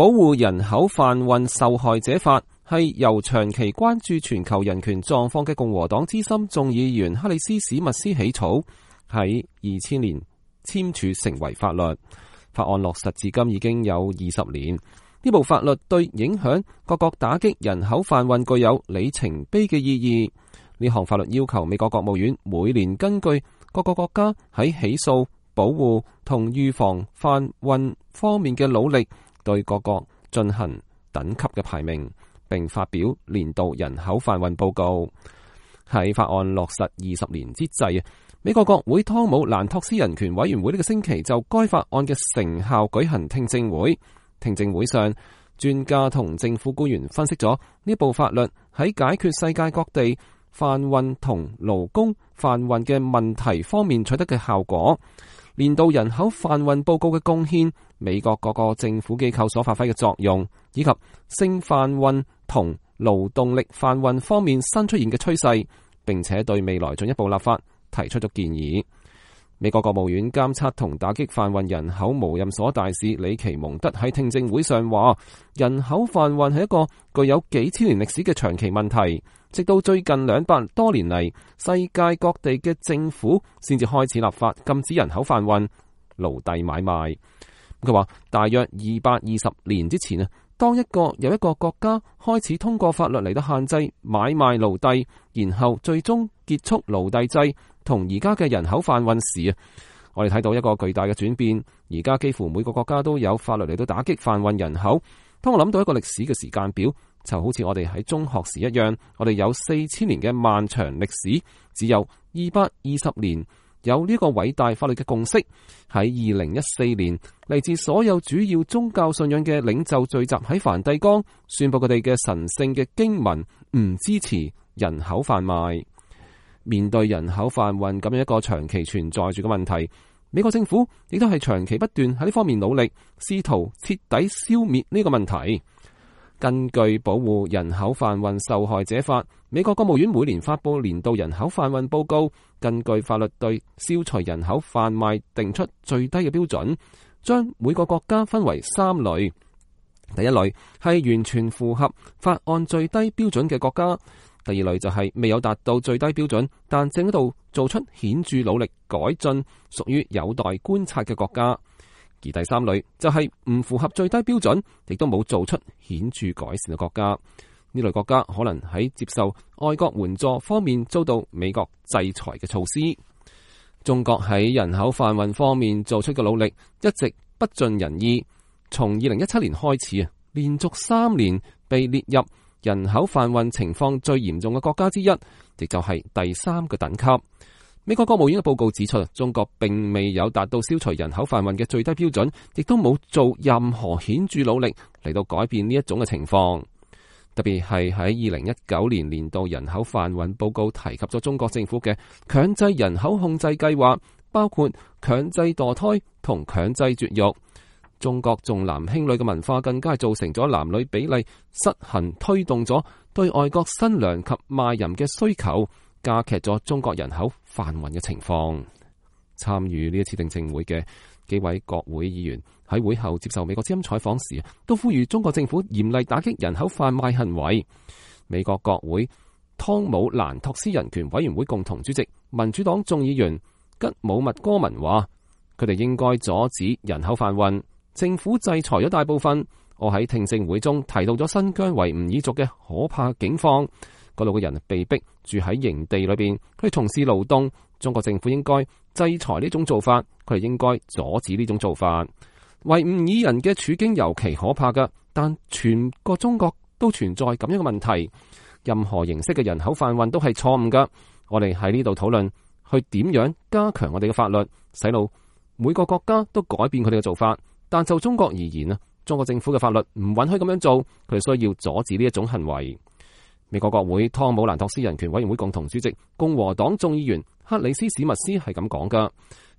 保護人口販運受害者法係由長期關注全球人權狀況嘅共和黨資深眾議員克里斯史密斯起草，喺2000年簽署成為法律。法案落實至今已經有20年。呢部法律對影響各國打擊人口販運具有里程碑嘅意義。呢項法律要求美國國務院每年根據各個國家喺起訴、保護同預防販運方面嘅努力，對各國進行等級嘅排名，並發表年度人口販運報告。喺法案落實20年之際，美國國會湯姆蘭托斯人權委員會呢個星期就該法案嘅成效舉行聽證會。聽證會上，專家同政府官員分析咗呢部法律喺解決世界各地販運同勞工販運嘅問題方面取得嘅效果，年度人口販運報告嘅貢獻，美國各個政府機構所發揮嘅作用，以及性販運同勞動力販運方面新出現嘅趨勢，並且對未來進一步立法提出咗建議。美國國務院監測同打擊販運人口無任所大使里奇蒙德喺聽證會上話，人口販運係一個具有幾千年歷史嘅長期問題，直到最近200多年嚟，世界各地嘅政府先至開始立法禁止人口販運、奴隸買賣。佢話大約220年之前啊，當有一個國家開始通過法律嚟到限制買賣奴隸，然後最終結束奴隸制同而家嘅人口販運時啊，我哋睇到一個巨大嘅轉變。而家幾乎每個國家都有法律嚟到打擊販運人口。當我諗到一個歷史嘅時間表，就好似我哋喺中學時一樣，我哋有4000年嘅漫長歷史，只有220年有呢個偉大法律嘅共識。喺2014年，嚟自所有主要宗教信仰嘅領袖聚集喺梵蒂岡，宣布佢哋嘅神聖嘅經文唔支持人口販賣。面對人口販運咁樣一個長期存在住嘅問題，美國政府亦都係長期不斷喺呢方面努力，試圖徹底消滅呢個問題。根據保護人口販運受害者法，美國國務院每年發佈年度人口販運報告，根據法律對消除人口販賣定出最低嘅標準，將每個國家分為3類。第一類係完全符合法案最低標準嘅國家。第二類就係未有達到最低標準，但正喺度做出顯著努力改進，屬於有待觀察嘅國家。而第三類就係唔符合最低標準，亦都冇做出顯著改善嘅國家。呢類國家可能喺接受外國援助方面遭到美國制裁嘅措施。中國喺人口販運方面做出嘅努力一直不盡人意。從2017年開始啊，連續3年被列入人口販運情況最嚴重嘅國家之一，亦就係第3個等級。美國國務院嘅報告指出，中國並未有達到消除人口販運嘅最低標準，亦都冇做任何顯著努力嚟到改變呢一種嘅情況。特別係喺2019年年度人口販運報告提及咗中國政府嘅強制人口控制計劃，包括強制墮胎同強制絕育。中國重男輕女嘅文化更加係造成咗男女比例失衡，推動咗對外國新娘及賣淫嘅需求，加劇咗中國人口販運嘅情況。參與呢一次聽證會嘅幾位國會議員喺會後接受美國之音採訪時，都呼籲中國政府嚴厲打擊人口販賣行為。美國國會湯姆蘭托斯人權委員會共同主席民主黨眾議員吉姆密哥文話，佢哋應該阻止人口販運。政府制裁咗大部分。我喺聽證會中提到咗新疆維吾爾族嘅可怕境況，嗰度嘅人被逼住喺營地裏邊，佢哋從事勞動。中國政府應該制裁呢種做法，佢哋應該阻止呢種做法。維吾爾人嘅處境尤其可怕㗎，但全個中國都存在咁樣嘅問題。任何形式嘅人口販運都係錯誤㗎。我哋喺呢度討論去點樣加強我哋嘅法律，使到每個國家都改變佢哋嘅做法。但就中國而言啊，中國政府嘅法律唔允許咁樣做，佢哋需要阻止呢一種行為。美國國會湯姆蘭托斯人權委員會共同主席共和黨眾議員克里斯史密斯係咁講噶。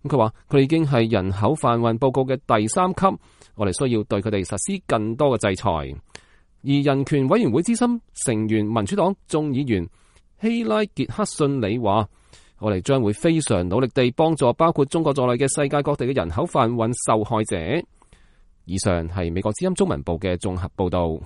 佢話佢哋已經係人口販運報告嘅第3級，我哋需要對佢哋實施更多嘅制裁。而人權委員會資深成員民主黨眾議員希拉傑克遜里話，我哋將會非常努力地幫助包括中國在內嘅世界各地嘅人口販運受害者。以上係美國之音中文部嘅綜合報道。